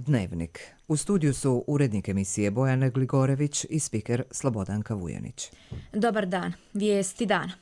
Dnevnik. U studiju su urednik emisije Bojana Gligorević i spiker Slobodanka Vujanić. Dobar dan. Vijesti dana.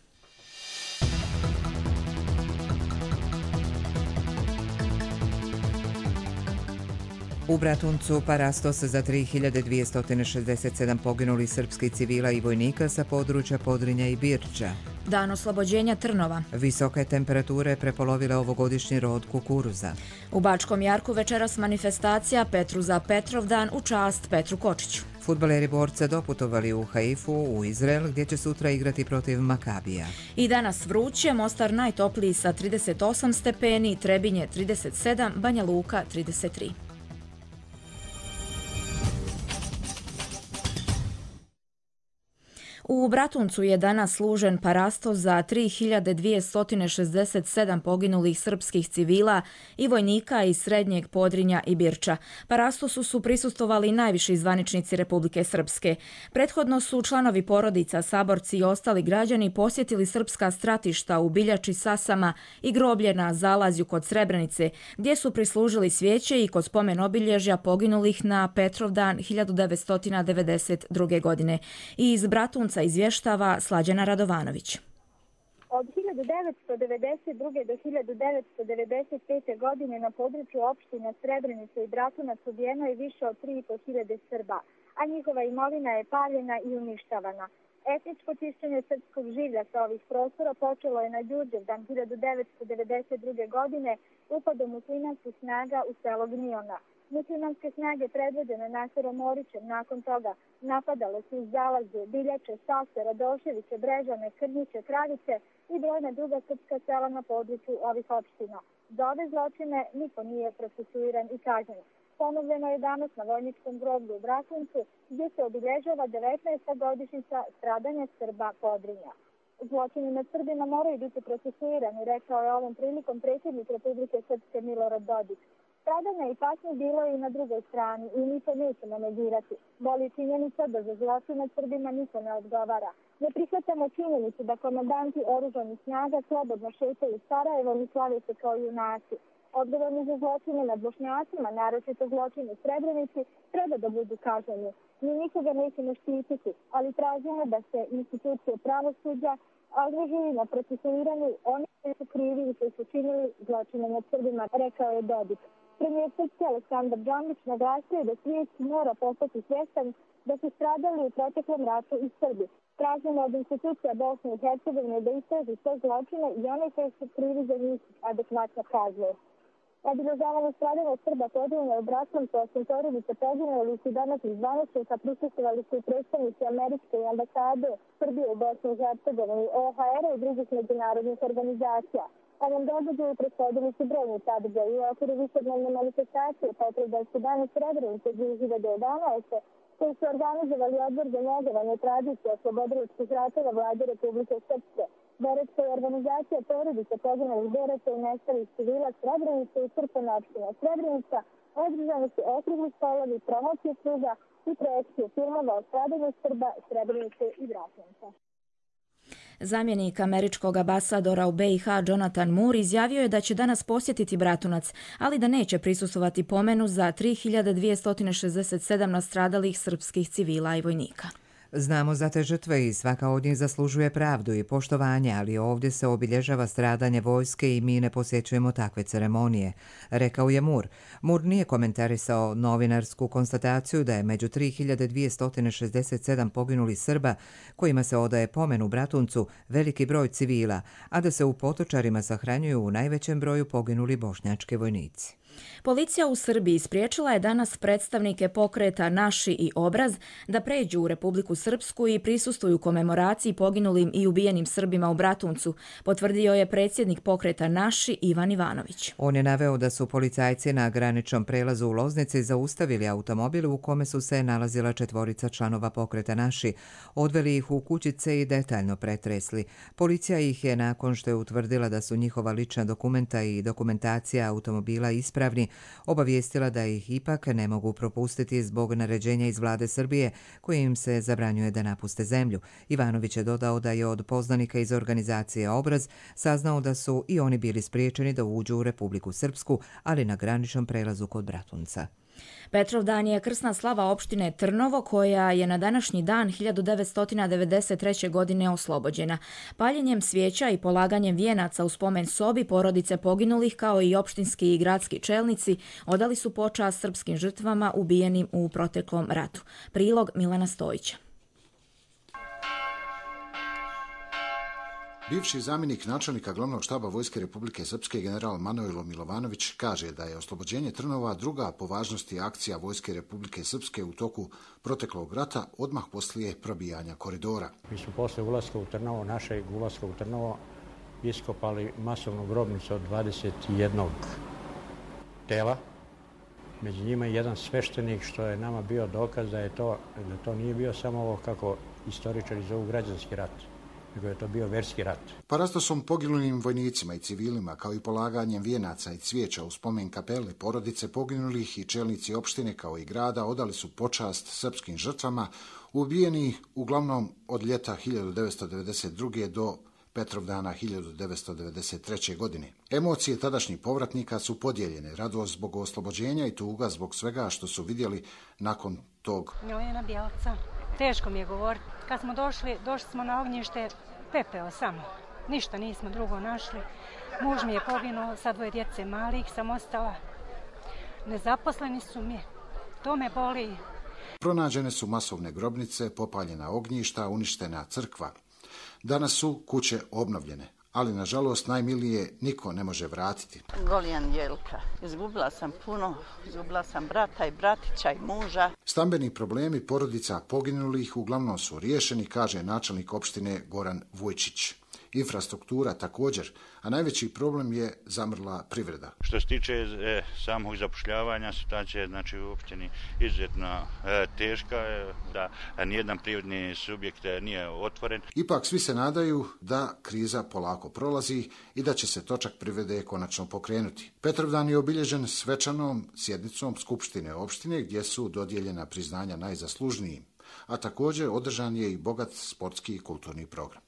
U Bratuncu parastos za 3267 poginulih srpskih civila i vojnika sa područja Podrinja i Birča. Dan oslobođenja Trnova. Visoke temperature prepolovile ovogodišnji rod kukuruza. U Bačkom Jarku večeras manifestacija Petru za Petrovdan u čast Petru Kočiću. Fudbaleri Borca doputovali u Haifu, u Izrael, gdje će sutra igrati protiv Makabija. I danas vruće, Mostar najtopliji sa 38 stepeni, Trebinje 37, Banja Luka 33. U Bratuncu je danas služen parastos za 3267 poginulih srpskih civila i vojnika iz Srednjeg Podrinja i Birča. Parastosu su prisustvovali najviši zvaničnici Republike Srpske. Prethodno su članovi porodica, saborci i ostali građani posjetili srpska stratišta u Biljači, Sasama i groblje na Zalazju kod Srebrenice, gdje su prislužili svijeće i kod spomen obilježja poginulih na Petrovdan 1992. godine. I iz Bratunca izvještava Slađana Radovanović. Od 1992. do 1995. godine na području opština Srebrenica i Bratunac ubijeno je više od 3.500 Srba, a njihova imovina je paljena i uništavana. Etničko čišćenje srpskog življa sa ovih prostora počelo je na Đurđevdan 1992. godine upadom muslimanskih snaga u selo Gniona. Muslimanske snage predvođene Naserom Orićem nakon toga napadale su iz Zalazje, Biljače, Sase, Radoševiće, Brežane, Krnjiće, Kravice i brojna druga srpska sela na području ovih opština. Za ove zločine niko nije procesuiran i kažnjen. Ponovljeno je danas na vojničkom groblju u Bratuncu, gdje se obilježava 19. godišnjica stradanja Srba Podrinja. Zločini nad Srbima moraju biti procesuirani, rekao je ovom prilikom predsjednik Republike Srpske Milorad Dodik. Stradanja i patnje bilo je i na drugoj strani i mi to nećemo negirati. Boli činjenica da za zločin nad Srbima niko ne odgovara. Ne prihvatamo činjenicu da komandanti oružanih snaga slobodno šetaju Sarajevom i slave se kao junaci. Odgovorni za zločine nad Bošnjacima, naročito zločine u Srebrenici, treba da budu kažnjeni. Mi nikoga nećemo štititi, ali tražimo da se institucije pravosuđa angažuju na procesuiranju onih koji su krivi i koji su činili zločine nad Srbima, rekao je Dodik. Premijer Srpske Aleksandar Đamić naglasio je da svijet mora postati svjestan da su stradali u proteklom ratu i Srbi. Tražimo od institucija Bosne i Hercegovine da istraži sve zločine i one koji su krivi za njih adekvatno kazne. Obilježavanje stradanja Srba Podrinja u Bratuncu, osim porodice poginuli su danas iz zvaničnika prisustvovali su i predstavnici američke ambasade Srbije u Bosni i Hercegovini, OHR-a i drugih međunarodnih organizacija. Ovom događaju prethodili su brojni sadržaji u okviru višednevne manifestacije Petrovdanski dan u Srebrenici 2011. koji su organizovali Odbor za njegovanje tradicije oslobodilačkih ratova Vlade Republike Srpske. Boračka je organizacija porodice poginulih boraca i nestalih civila Srebrenice i crkvena opština Srebrenica. Održani su okrugli stolovi, promocije knjiga i projekcije filmova o stradanju Srba, Srebrenice i Bratunca. Zamjenik američkog ambasadora u BiH Jonathan Moore izjavio je da će danas posjetiti Bratunac, ali da neće prisustvovati pomenu za 3267 nastradalih srpskih civila i vojnika. Znamo za te žrtve i svaka od njih zaslužuje pravdu i poštovanje, ali ovdje se obilježava stradanje vojske i mi ne posjećujemo takve ceremonije, rekao je Moore. Moore nije komentarisao novinarsku konstataciju da je među 3267 poginulih Srba, kojima se odaje pomen u Bratuncu, veliki broj civila, a da se u Potočarima sahranjuju u najvećem broju poginuli bošnjački vojnici. Policija u Srbiji spriječila je danas predstavnike pokreta Naši i Obraz da pređu u Republiku Srpsku i prisustvuju komemoraciji poginulim i ubijenim Srbima u Bratuncu, potvrdio je predsjednik pokreta Naši Ivan Ivanović. On je naveo da su policajci na graničnom prelazu u Loznici zaustavili automobil u kome su se nalazila 4 članova pokreta Naši, odveli ih u kućice i detaljno pretresli. Policija ih je, nakon što je utvrdila da su njihova lična dokumenta i dokumentacija automobila ispravni, obavijestila da ih ipak ne mogu propustiti zbog naređenja iz vlade Srbije koje im se zabranjuje da napuste zemlju. Ivanović je dodao da je od poznanika iz organizacije Obraz saznao da su i oni bili spriječeni da uđu u Republiku Srpsku, ali na graničnom prelazu kod Bratunca. Petrovdan je krsna slava opštine Trnovo koja je na današnji dan 1993. godine oslobođena. Paljenjem svijeća i polaganjem vijenaca u spomen sobi porodice poginulih kao i opštinski i gradski čelnici odali su počast srpskim žrtvama ubijenim u proteklom ratu. Prilog Milana Stojića. Bivši zamjenik načelnika glavnog štaba Vojske Republike Srpske general Manojlo Milovanović kaže da je oslobođenje Trnova druga po važnosti akcija Vojske Republike Srpske u toku proteklog rata odmah poslije probijanja koridora. Mi smo posle ulaska u Trnovo, našeg ulaska u Trnovo, iskopali masovnu grobnicu od 21 tela. Među njima je jedan sveštenik što je nama bio dokaz da to nije bio samo ovo kako istoričari zovu građanski rat, nego je to bio verski rat. Parastosom poginulim vojnicima i civilima, kao i polaganjem vijenaca i cvijeća u spomen kapele, porodice poginulih i čelnici opštine kao i grada odali su počast srpskim žrtvama, ubijeni uglavnom od ljeta 1992. do Petrovdana 1993. godine. Emocije tadašnjih povratnika su podijeljene, radost zbog oslobođenja i tuga zbog svega što su vidjeli nakon tog. Milena Bjelca. Teško mi je govoriti. Kad smo došli smo na ognjište, pepeo samo. Ništa nismo drugo našli. Muž mi je poginuo, sa 2 djece malih sam ostala. Nezaposleni su mi. To me boli. Pronađene su masovne grobnice, popaljena ognjišta, uništena crkva. Danas su kuće obnovljene, ali nažalost najmilije niko ne može vratiti. Golijan Jelka. Izgubila sam puno, izgubila sam brata i bratića i muža. Stambeni problemi porodica poginulih uglavnom su riješeni, kaže načelnik opštine Goran Vujčić. Infrastruktura također, a najveći problem je zamrla privreda. Što se tiče samog zapošljavanja, situacija je u opštini izuzetno teška, da nijedan privredni subjekt nije otvoren. Ipak svi se nadaju da kriza polako prolazi i da će se točak privrede konačno pokrenuti. Petrovdan je obilježen svečanom sjednicom Skupštine opštine gdje su dodijeljena priznanja najzaslužnijim, a također održan je i bogat sportski i kulturni program.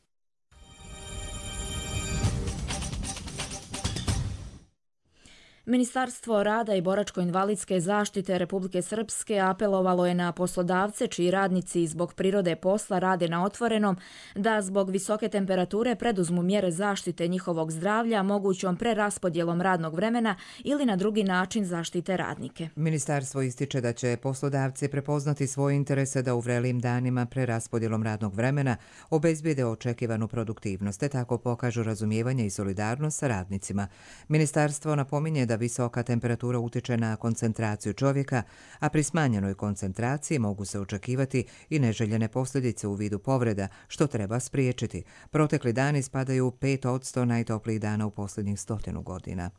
Ministarstvo rada i boračko-invalidske zaštite Republike Srpske apelovalo je na poslodavce čiji radnici zbog prirode posla rade na otvorenom da zbog visoke temperature preduzmu mjere zaštite njihovog zdravlja mogućom preraspodjelom radnog vremena ili na drugi način zaštite radnike. Ministarstvo ističe da će poslodavci prepoznati svoje interese da u vrelim danima preraspodjelom radnog vremena obezbijede očekivanu produktivnost, te tako pokažu razumijevanje i solidarnost sa radnicima. Ministarstvo napominje da visoka temperatura utiče na koncentraciju čovjeka, a pri smanjenoj koncentraciji mogu se očekivati i neželjene posljedice u vidu povreda, što treba spriječiti. Protekli dani spadaju 5% najtoplijih dana u posljednjih 100 godina.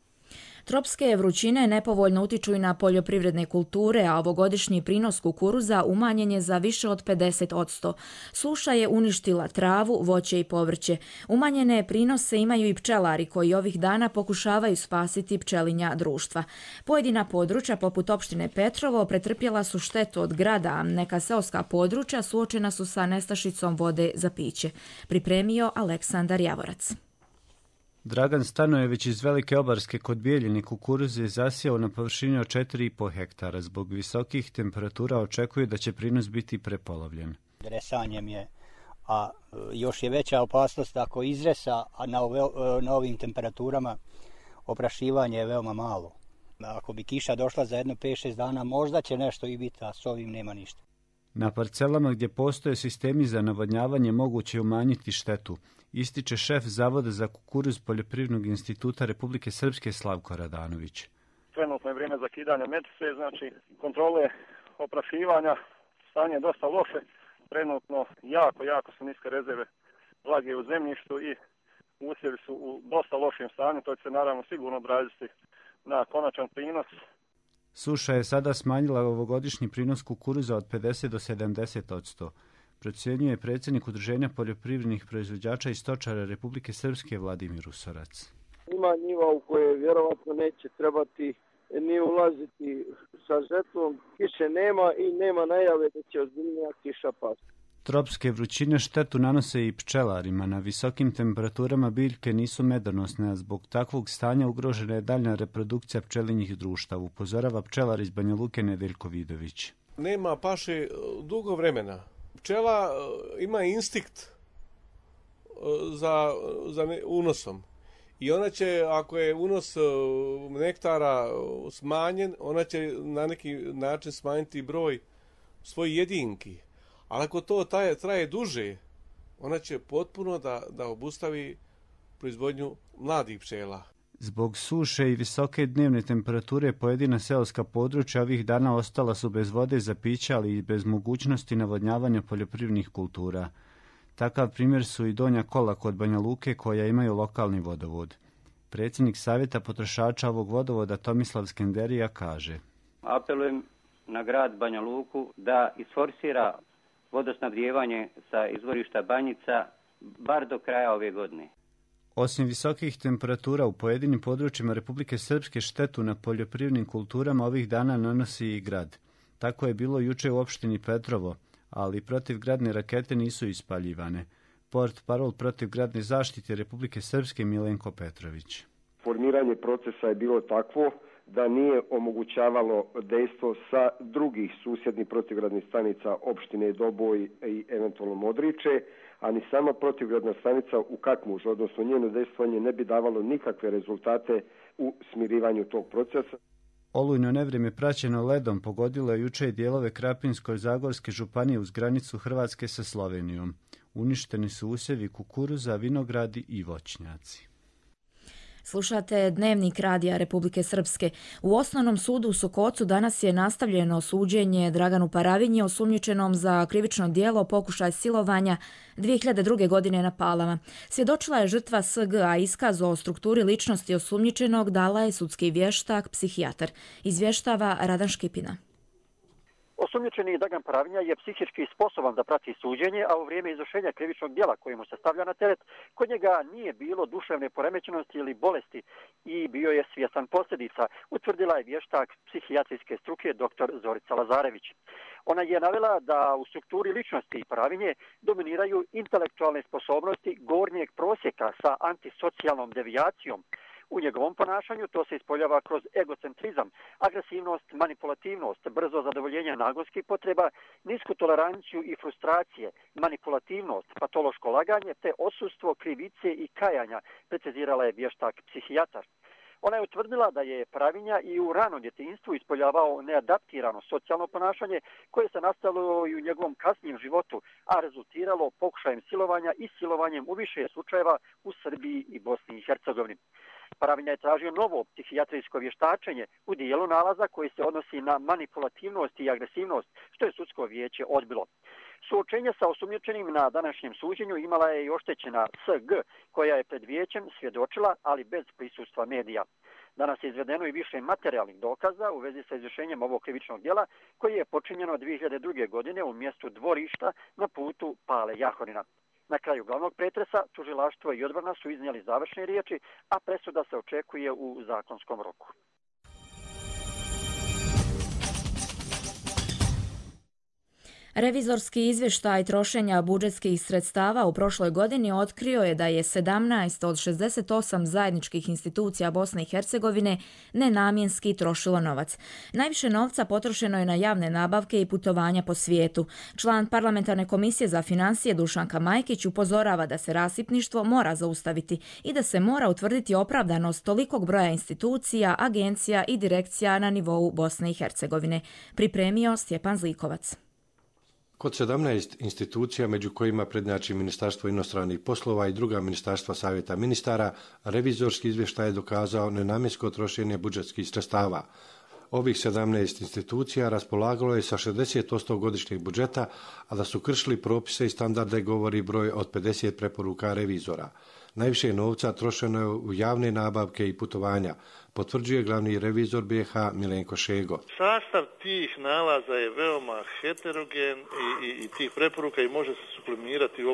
Tropske vrućine nepovoljno utiču i na poljoprivredne kulture, a ovogodišnji prinos kukuruza umanjen je za više od 50%. Suša je uništila travu, voće i povrće. Umanjene prinose imaju i pčelari koji ovih dana pokušavaju spasiti pčelinja društva. Pojedina područja, poput opštine Petrovo, pretrpjela su štetu od grada, a neka seoska područja suočena su sa nestašicom vode za piće. Pripremio Aleksandar Javorac. Dragan Stanojević iz Velike Obarske kod Bijeljine kukuruz je zasijao na površini od 4,5 hektara. Zbog visokih temperatura očekuje da će prinos biti prepolovljen. Dresanjem je, a još je veća opasnost ako izresa, a na ovim temperaturama oprašivanje je veoma malo. Ako bi kiša došla za 5-6 dana, možda će nešto i biti, a s ovim nema ništa. Na parcelama gdje postoje sistemi za navodnjavanje moguće umanjiti štetu, ističe šef Zavoda za kukuruz Poljoprivrednog instituta Republike Srpske Slavko Radanović. Trenutno je vrijeme zakidanja metise, znači kontrole oprašivanja, stanje je dosta loše. Trenutno jako su niske rezerve vlage u zemljištu i usjevi su u dosta lošem stanju, to će se naravno sigurno odraziti na konačan prinos. Suša je sada smanjila ovogodišnji prinos kukuruza od 50 do 70%. Procjenjuje predsjednik Udruženja poljoprivrednih proizvođača i stočara Republike Srpske Vladimir Usorac. Ima njiva u koje vjerovatno neće trebati ni ulaziti sa žetvom. Kiše nema i nema najave da će ozbiljnija kiša pasti. Tropske vrućine štetu nanose i pčelarima. Na visokim temperaturama biljke nisu medonosne, a zbog takvog stanja ugrožena je daljna reprodukcija pčelinjih društava, upozorava pčelar iz Banja Luke Nedeljko Vidović. Nema paše dugo vremena. Pčela ima instinkt za unosom. I ona će, ako je unos nektara smanjen, ona će na neki način smanjiti broj svojih jedinki. Ali ako to traje duže, ona će potpuno da obustavi proizvodnju mladih pčela. Zbog suše i visoke dnevne temperature pojedina seoska područja ovih dana ostala su bez vode za piće, ali i bez mogućnosti navodnjavanja poljoprivrednih kultura. Takav primjer su i Donja Kola kod Banja Luke koja imaju lokalni vodovod. Predsjednik Savjeta potrošača ovog vodovoda Tomislav Skenderija kaže: Apelujem na grad Banja Luku da isforsira vodosnabdijevanje sa izvorišta Banjica bar do kraja ove godine. Osim visokih temperatura u pojedinim područjima Republike Srpske štetu na poljoprivrednim kulturama ovih dana nanosi i grad. Tako je bilo juče u opštini Petrovo, ali protivgradne rakete nisu ispaljivane. Portparol protivgradne zaštite Republike Srpske Milenko Petrović. Formiranje procesa je bilo takvo da nije omogućavalo dejstvo sa drugih susjednih protivgradnih stanica opštine Doboj i eventualno Modriče, a ni sama protivgradna stanica u Kakmužu, odnosno njeno dejstvovanje, ne bi davalo nikakve rezultate u smirivanju tog procesa. Olujno nevrijeme praćeno ledom pogodilo je juče dijelove Krapinsko-Zagorske županije uz granicu Hrvatske sa Slovenijom. Uništeni su usjevi kukuruza, vinogradi i voćnjaci. Slušate Dnevnik Radija Republike Srpske. U Osnovnom sudu u Sokocu danas je nastavljeno suđenje Draganu Paravinji, osumnjičenom za krivično djelo pokušaj silovanja 2002. godine na Palama. Svjedočila je žrtva SG, a iskaz o strukturi ličnosti osumnjičenog dala je sudski vještak, psihijatar. Izvještava Radan Škipina. Osumnjičeni Dragan Paravinja je psihički sposoban da prati suđenje, a u vrijeme izvršenja krivičnog djela koje mu se stavlja na teret, kod njega nije bilo duševne poremećenosti ili bolesti i bio je svjestan posljedica, utvrdila je vještak psihijatrijske struke dr. Zorica Lazarević. Ona je navela da u strukturi ličnosti Paravinje dominiraju intelektualne sposobnosti gornjeg prosjeka sa antisocijalnom devijacijom. U njegovom ponašanju to se ispoljava kroz egocentrizam, agresivnost, manipulativnost, brzo zadovoljenje nagonskih potreba, nisku toleranciju i frustracije, manipulativnost, patološko laganje te odsustvo krivice i kajanja, precizirala je vještak psihijatar. Ona je utvrdila da je Paravinja i u ranom djetinjstvu ispoljavao neadaptirano socijalno ponašanje koje se nastavilo i u njegovom kasnijem životu, a rezultiralo pokušajem silovanja i silovanjem u više slučajeva u Srbiji i Bosni i Hercegovini. Paravinja je tražio novo psihijatrijsko vještačenje u dijelu nalaza koji se odnosi na manipulativnost i agresivnost, što je sudsko vijeće odbilo. Suočenje sa osumnjičenim na današnjem suđenju imala je i oštećena SG, koja je pred vijećem svjedočila, ali bez prisustva medija. Danas je izvedeno i više materijalnih dokaza u vezi sa izvršenjem ovog krivičnog djela, koji je počinjeno 2002. godine u mjestu Dvorišta na putu Pale Jahorina. Na kraju glavnog pretresa tužilaštvo i odbrana su iznijeli završne riječi, a presuda se očekuje u zakonskom roku. Revizorski izvještaj trošenja budžetskih sredstava u prošloj godini otkrio je da je 17 od 68 zajedničkih institucija Bosne i Hercegovine nenamjenski trošilo novac. Najviše novca potrošeno je na javne nabavke i putovanja po svijetu. Član parlamentarne komisije za financije Dušanka Majkić upozorava da se rasipništvo mora zaustaviti i da se mora utvrditi opravdanost tolikog broja institucija, agencija i direkcija na nivou Bosne i Hercegovine. Pripremio Stjepan Zlikovac. Kod 17 institucija, među kojima prednjači Ministarstvo inostranih poslova i druga ministarstva Savjeta ministara, revizorski izvještaj je dokazao nenamjensko trošenje budžetskih sredstava. Ovih 17 institucija raspolagalo je sa 60% godišnjeg budžeta, a da su kršili propise i standarde govori broj od 50 preporuka revizora. Najviše novca trošeno je u javne nabavke i putovanja, potvrđuje glavni revizor BiH Milenko Šego. Sastav tih nalaza je veoma heterogen i tih preporuka i može se sublimirati u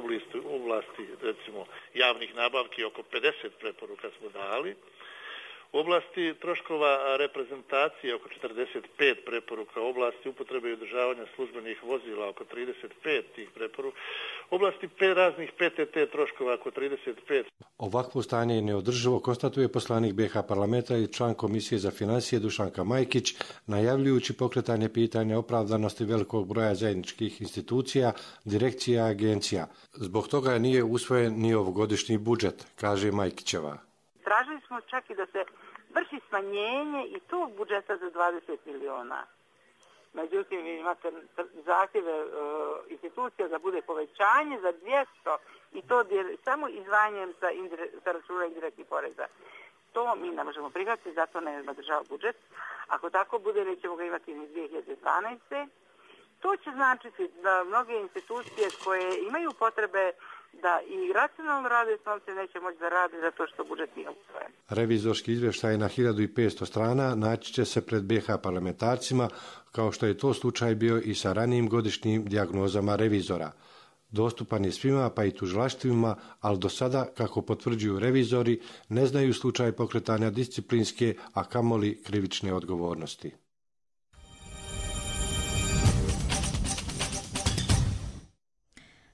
oblasti recimo javnih nabavki, oko 50 preporuka smo dali. U oblasti troškova reprezentacije oko 45 preporuka, u oblasti upotrebe i održavanja službenih vozila oko 35 tih preporuka, u oblasti raznih PTT troškova oko 35. Ovakvo stanje je neodrživo, konstatuje poslanik BiH parlamenta i član Komisije za financije Dušanka Majkić, najavljujući pokretanje pitanja opravdanosti velikog broja zajedničkih institucija, direkcija i agencija. Zbog toga nije usvojen ni ovogodišnji budžet, kaže Majkićeva. Tražili smo čak i da se vrši smanjenje i tog budžeta za 20 miliona. Međutim, vi imate zahtjeve institucija da bude povećanje za 200 i to samo izdvajanjem sa računa indirektnih poreza. To mi ne možemo prihvatiti, zato ne podržava budžet. Ako tako bude, nećemo ga imati ni 2012. To će značiti da mnoge institucije koje imaju potrebe da i racionalno rade s novcem neće moći da rade zato što budžet nije usvojen. Revizorski izvještaj na 1500 strana naći će se pred BiH parlamentarcima, kao što je to slučaj bio i sa ranijim godišnjim dijagnozama revizora. Dostupan je svima, pa i tužilaštvima, ali do sada, kako potvrđuju revizori, ne znaju slučaj pokretanja disciplinske, a kamoli krivične odgovornosti.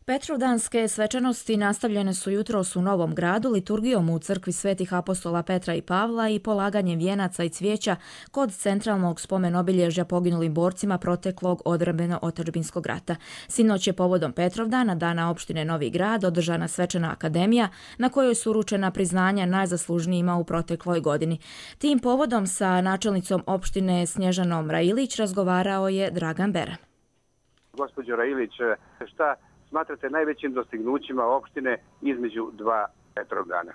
Petrovdanske svečanosti nastavljene su jutros u Novom Gradu liturgijom u crkvi Svetih apostola Petra i Pavla i polaganjem vijenaca i cvijeća kod centralnog spomen-obilježja poginulim borcima proteklog odbrambeno-otadžbinskog rata. Sinoć je povodom Petrovdana, dana opštine Novi Grad, održana svečana akademija na kojoj su uručena priznanja najzaslužnijima u protekloj godini. Tim povodom sa načelnicom opštine Snježanom Railić razgovarao je Dragan Bera. Gospođo Railić, šta smatrate najvećim dostignućima opštine između dva Petrovdana?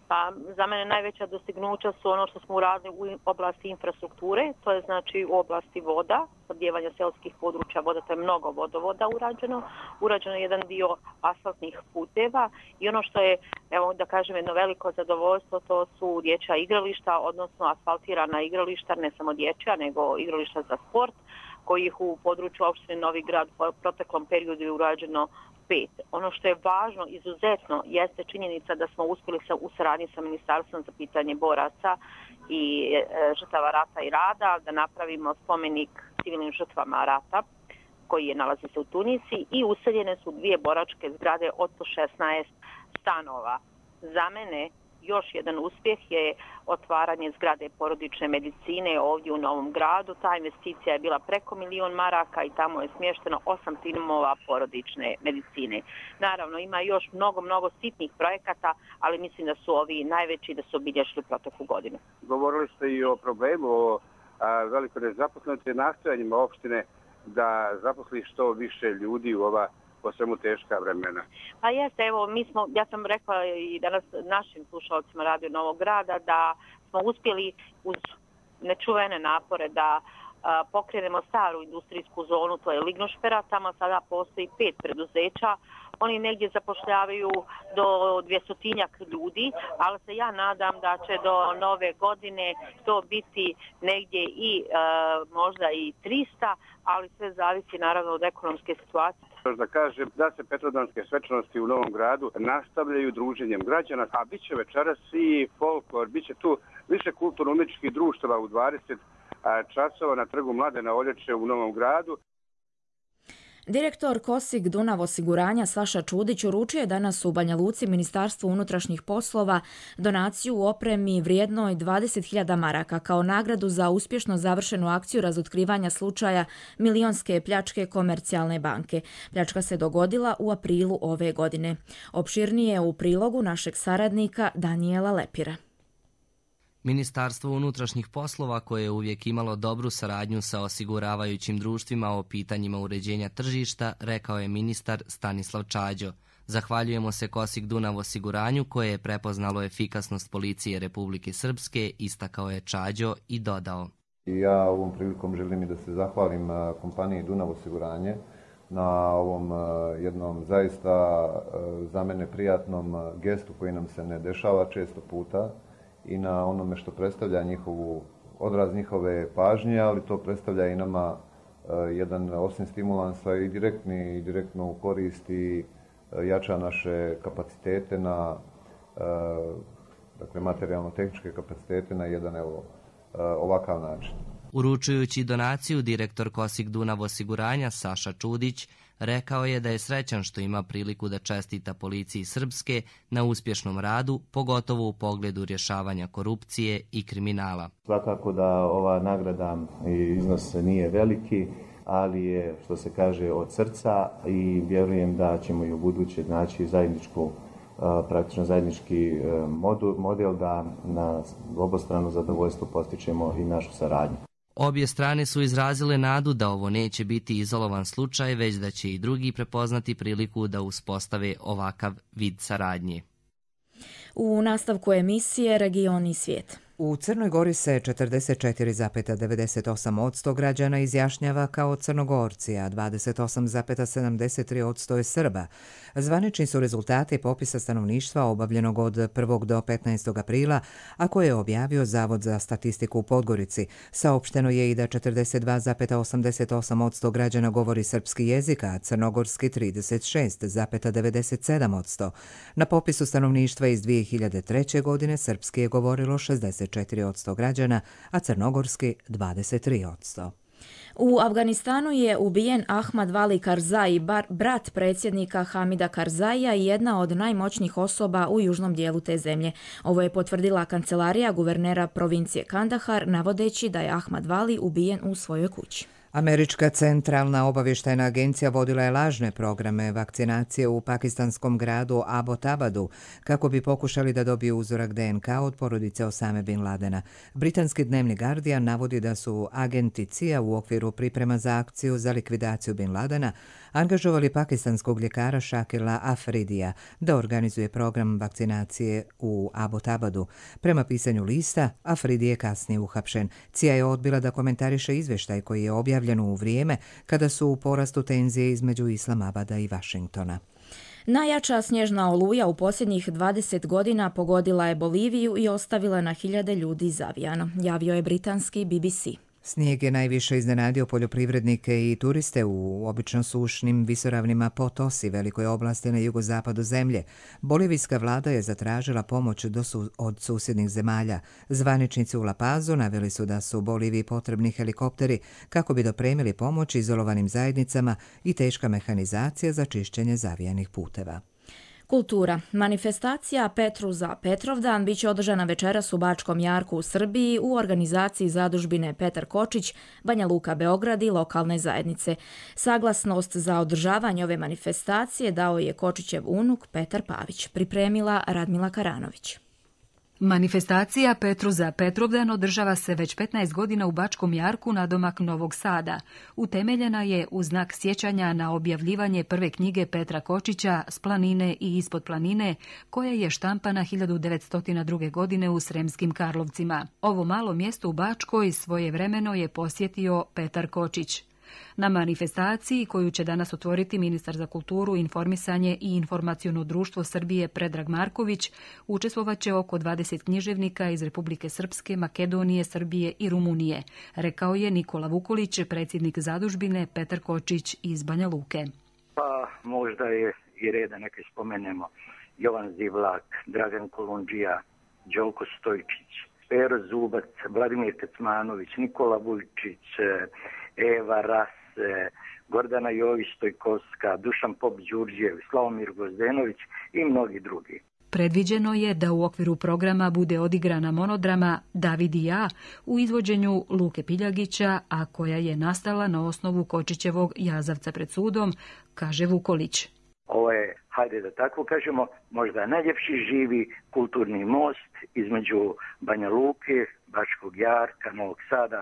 Pa za mene najveća dostignuća su ono što smo uradili u oblasti infrastrukture, to je znači u oblasti voda, snabdijevanja seoskih područja voda, to je mnogo vodovoda urađeno. Urađeno je jedan dio asfaltnih puteva i ono što je, evo da kažem, jedno veliko zadovoljstvo, to su dječja igrališta, odnosno asfaltirana igrališta, ne samo dječja, nego igrališta za sport, kojih u području opštine Novi Grad u proteklom periodu je urađeno 5. Ono što je važno, izuzetno, jeste činjenica da smo uspjeli u saradnji sa Ministarstvom za pitanje boraca i žrtava rata i rada da napravimo spomenik civilnim žrtvama rata koji je nalazi se u Tunici i useljene su 2 boračke zgrade od 16 stanova. Za mene još jedan uspjeh je otvaranje zgrade porodične medicine ovdje u Novom Gradu. Ta investicija je bila preko 1 milion maraka i tamo je smješteno 8 timova porodične medicine. Naravno, ima još mnogo sitnih projekata, ali mislim da su ovi najveći da su obilježili proteklu godinu. Govorili ste i o problemu, o velikoj nezaposlenosti, nastojanjima opštine da zaposli što više ljudi u ova po svemu teška vremena. Pa jeste, evo, ja sam rekla i danas našim slušalcima Radio Novog Grada da smo uspjeli uz nečuvene napore da pokrenemo staru industrijsku zonu, to je Lignošpera, tamo sada postoji 5 preduzeća. Oni negdje zapošljavaju do 200-tinjak ljudi, ali se ja nadam da će do nove godine to biti negdje i možda i 300, ali sve zavisi naravno od ekonomske situacije. Da kažem da se Petrovdanske svečanosti u Novom Gradu nastavljaju druženjem građana, a bit će večeras i folklor, bit će tu više kulturno-umjetničkih društava u 20 časova na trgu Mladena Olječe u Novom Gradu. Direktor Kosik Dunav osiguranja Saša Čudić uručio je danas u Banja Luci Ministarstvu unutrašnjih poslova donaciju u opremi vrijednoj 20.000 maraka kao nagradu za uspješno završenu akciju razotkrivanja slučaja milionske pljačke Komercijalne banke. Pljačka se dogodila u aprilu ove godine. Opširnije u prilogu našeg saradnika Danijela Lepira. Ministarstvo unutrašnjih poslova, koje je uvijek imalo dobru saradnju sa osiguravajućim društvima o pitanjima uređenja tržišta, rekao je ministar Stanislav Čađo. Zahvaljujemo se Kosik Dunav osiguranju koje je prepoznalo efikasnost policije Republike Srpske, istakao je Čađo i dodao. Ja ovom prilikom želim i da se zahvalim kompaniji Dunav osiguranje na ovom jednom zaista za mene prijatnom gestu koji nam se ne dešava često puta, i na onome što predstavlja odraz njihove pažnje, ali to predstavlja i nama jedan osim stimulansa i direktnu korist i jača naše kapacitete na dakle materijalno-tehničke kapacitete na jedan ovakav način. Uručujući donaciju, direktor Kosik Dunav osiguranja Saša Čudić rekao je da je srećan što ima priliku da čestita policiji Srpske na uspješnom radu, pogotovo u pogledu rješavanja korupcije i kriminala. Svakako da ova nagrada i iznos nije veliki, ali je, što se kaže, od srca i vjerujem da ćemo i u buduće naći praktično zajednički model da na obostrano zadovoljstvo postičemo i našu saradnju. Obje strane su izrazile nadu da ovo neće biti izolovan slučaj, već da će i drugi prepoznati priliku da uspostave ovakav vid saradnje. U nastavku emisije Region i svijet. U Crnoj Gori se 44,98% građana izjašnjava kao Crnogorci, a 28,73% je Srba. Zvanični su rezultati popisa stanovništva obavljenog od 1. do 15. aprila, a koje je objavio Zavod za statistiku u Podgorici. Saopšteno je i da 42,88% građana govori srpski jezik, a crnogorski 36,97%. Na popisu stanovništva iz 2003. godine srpski je govorilo 64% građana, a crnogorski 23%. U Afganistanu je ubijen Ahmad Vali Karzai, brat predsjednika Hamida Karzaija i jedna od najmoćnijih osoba u južnom dijelu te zemlje. Ovo je potvrdila kancelarija guvernera provincije Kandahar, navodeći da je Ahmad Vali ubijen u svojoj kući. Američka centralna obavještajna agencija vodila je lažne programe vakcinacije u pakistanskom gradu Abbottabadu kako bi pokušali da dobiju uzorak DNK od porodice Osame Bin Ladena. Britanski dnevni Guardian navodi da su agenti CIA u okviru priprema za akciju za likvidaciju Bin Ladena angažovali pakistanskog ljekara Shakila Afridija da organizuje program vakcinacije u Abbottabadu. Prema pisanju lista, Afridi je kasnije uhapšen. CIA je odbila da komentariše izvještaj koji je objavljen u vrijeme kada su u porastu tenzije između Islamabada i Vašingtona. Najjača snježna oluja u posljednjih 20 godina pogodila je Boliviju i ostavila na hiljade ljudi zavijano, javio je britanski BBC. Snijeg je najviše iznenadio poljoprivrednike i turiste u obično sušnim visoravnima Potosi, velikoj oblasti na jugozapadu zemlje. Bolivijska vlada je zatražila pomoć od susjednih zemalja. Zvaničnici u La Pazu naveli su da su Boliviji potrebni helikopteri kako bi dopremili pomoć izolovanim zajednicama i teška mehanizacija za čišćenje zavijanih puteva. Kultura. Manifestacija Petru za Petrovdan biće održana večeras u Bačkom Jarku u Srbiji u organizaciji zadužbine Petar Kočić, Banja Luka Beograd i lokalne zajednice. Saglasnost za održavanje ove manifestacije dao je Kočićev unuk Petar Pavić, pripremila Radmila Karanović. Manifestacija Petru za Petrovdan održava se već 15 godina u Bačkom Jarku nadomak Novog Sada. Utemeljena je u znak sjećanja na objavljivanje prve knjige Petra Kočića S planine i ispod planine, koja je štampana 1902. godine u Sremskim Karlovcima. Ovo malo mjesto u Bačkoj svojevremeno je posjetio Petar Kočić. Na manifestaciji, koju će danas otvoriti ministar za kulturu, informisanje i informaciono društvo Srbije Predrag Marković, učestvovaće oko 20 književnika iz Republike Srpske, Makedonije, Srbije i Rumunije, rekao je Nikola Vukolić, predsjednik zadužbine Petar Kočić iz Banja Luke. Pa možda je i reda neke spomenemo. Jovan Zivlak, Dragan Kolundžija, Đolko Stojčić, Pero Zubac, Vladimir Kecmanović, Nikola Vujčić, Eva Rase, Gordana Jović-Stojkovska, Dušan Pop-Đurđev, Slavomir Gozdenović i mnogi drugi. Predviđeno je da u okviru programa bude odigrana monodrama David i ja u izvođenju Luke Piljagića, a koja je nastala na osnovu Kočićevog Jazavca pred sudom, kaže Vukolić. Ovo je, hajde da tako kažemo, možda najljepši živi kulturni most između Banja Luke, Bačkog Jarka, Novog Sada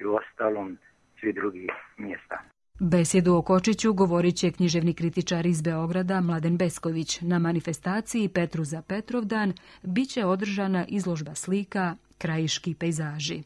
i u ostalom svi drugih mjesta. Besjedu o Kočiću govorit će književni kritičar iz Beograda Mladen Besković. Na manifestaciji Petru za Petrovdan bit će održana izložba slika Krajiški pejzaži.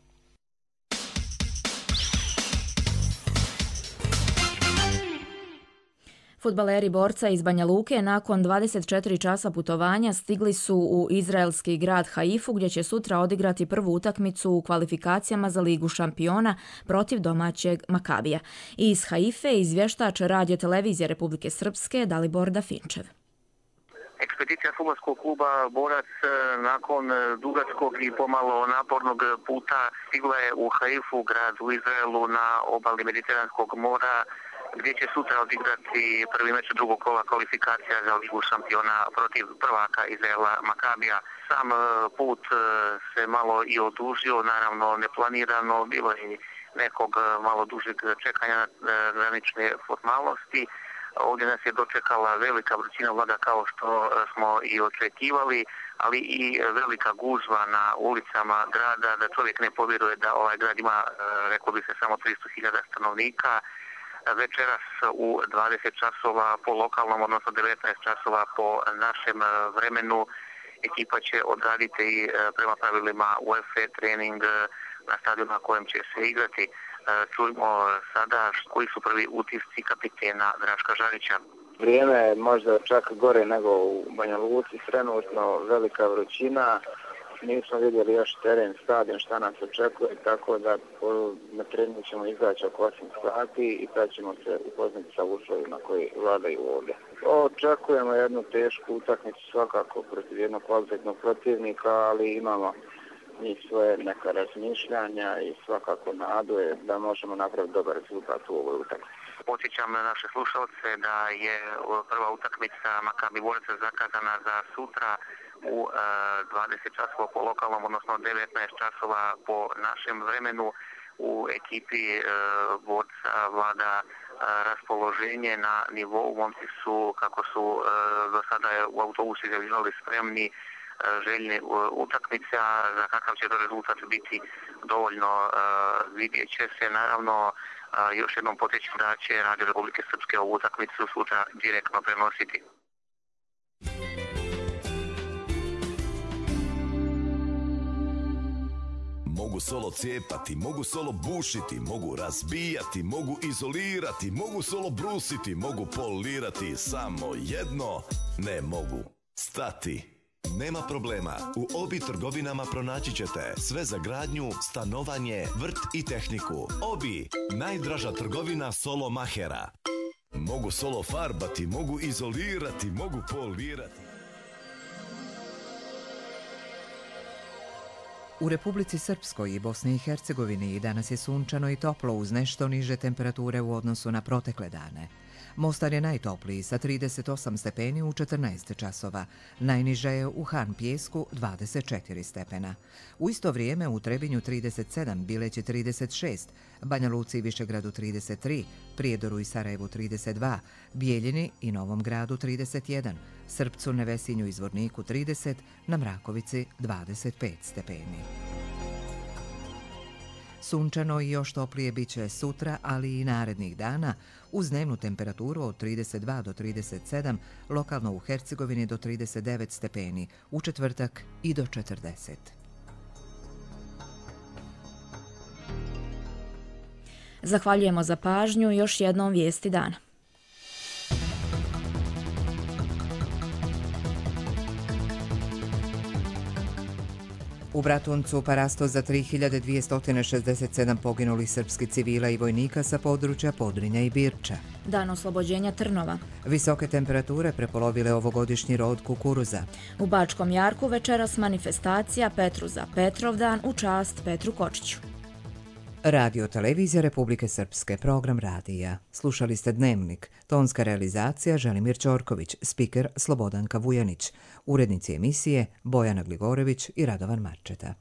Fudbaleri Borca iz Banja Luke nakon 24 časa putovanja stigli su u izraelski grad Haifu gdje će sutra odigrati prvu utakmicu u kvalifikacijama za Ligu šampiona protiv domaćeg Makabija. Iz Haife izvještač Radio televizije Republike Srpske Dalibor Dafinčev. Ekspedicija fudbalskog kluba Borac nakon dugačkog i pomalo napornog puta stigla je u Haifu, grad u Izraelu na obali Mediteranskog mora, gdje će sutra odigrati prvi meč drugog kola kvalifikacija za Ligu šampiona protiv prvaka Izraela Makabija. Sam put se malo i odužio, naravno neplanirano, bilo je nekog malo dužeg čekanja na granične formalnosti. Ovdje nas je dočekala velika vrućina vlada kao što smo i očekivali, ali i velika gužva na ulicama grada, da čovjek ne povjeruje da ovaj grad ima, reklo bi se, samo 300.000 stanovnika. Večeras u 20 časova po lokalnom, odnosno 19 časova po našem vremenu, ekipa će odraditi prema pravilima UEFA trening na stadionu na kojem će se igrati. Čujmo sada koji su prvi utisci kapitena Draška Žarića. Vrijeme je možda čak gore nego u Banja Luci, trenutno velika vrućina, nismo vidjeli još teren, stadion, šta nas očekuje, tako da na treningu ćemo izaći oko 8 sati i tad ćemo se upoznati sa uslovima koji vladaju ovdje. Očekujemo jednu tešku utakmicu svakako protiv jednog kvalitetnog protivnika, ali imamo njih svoje neka razmišljanja i svakako nadu je da možemo napraviti dobar rezultat u ovoj utakmici. Podsjećam na naše slušalce da je prva utakmica Makabi Borac zakazana za sutra u 20 časova po lokalnom, odnosno 19 časova po našem vremenu. U ekipi borca vlada raspoloženje na nivou. Momci su, kako su do sada u autobusu izjavljivali, spremni, željni utakmice, a za kakav će to rezultat biti dovoljno vidjet će se. Naravno, još jednom podsjećam da će Radio Republike Srpske ovu utakmicu sutra direktno prenositi. Mogu solo cijepati, mogu solo bušiti, mogu razbijati, mogu izolirati, mogu solo brusiti, mogu polirati, samo jedno ne mogu stati. Nema problema, u Obi trgovinama pronaći ćete sve za gradnju, stanovanje, vrt i tehniku. Obi, najdraža trgovina solo mahera. Mogu solo farbati, mogu izolirati, mogu polirati. U Republici Srpskoj i Bosni i Hercegovini danas je sunčano i toplo uz nešto niže temperature u odnosu na protekle dane. Mostar je najtopliji sa 38 stepeni u 14 časova. Najniže je u Han Pijesku 24 stepena. U isto vrijeme u Trebinju 37, Bileći 36, Banja Luci i Višegradu 33, Prijedoru i Sarajevu 32, Bijeljini i Novom Gradu 31, Srpcu, Nevesinju i Zvorniku 30, na Mrakovici 25 stepeni. Sunčano i još toplije bit će sutra, ali i narednih dana, uz dnevnu temperaturu od 32 do 37, lokalno u Hercegovini do 39 stepeni, u četvrtak i do 40. Zahvaljujemo za pažnju i još jednom vijesti dana. U Bratuncu parasto za 3267 poginulih srpskih civila i vojnika sa područja Podrinja i Birča. Dan oslobođenja Trnova. Visoke temperature prepolovile ovogodišnji rod kukuruza. U Bačkom Jarku večeras manifestacija Petru za Petrovdan u čast Petru Kočiću. Radio Televizija Republike Srpske, program radija. Slušali ste Dnevnik, tonska realizacija Želimir Ćorković, spiker Slobodanka Vujanić, urednici emisije Bojana Gligorević i Radovan Marčeta.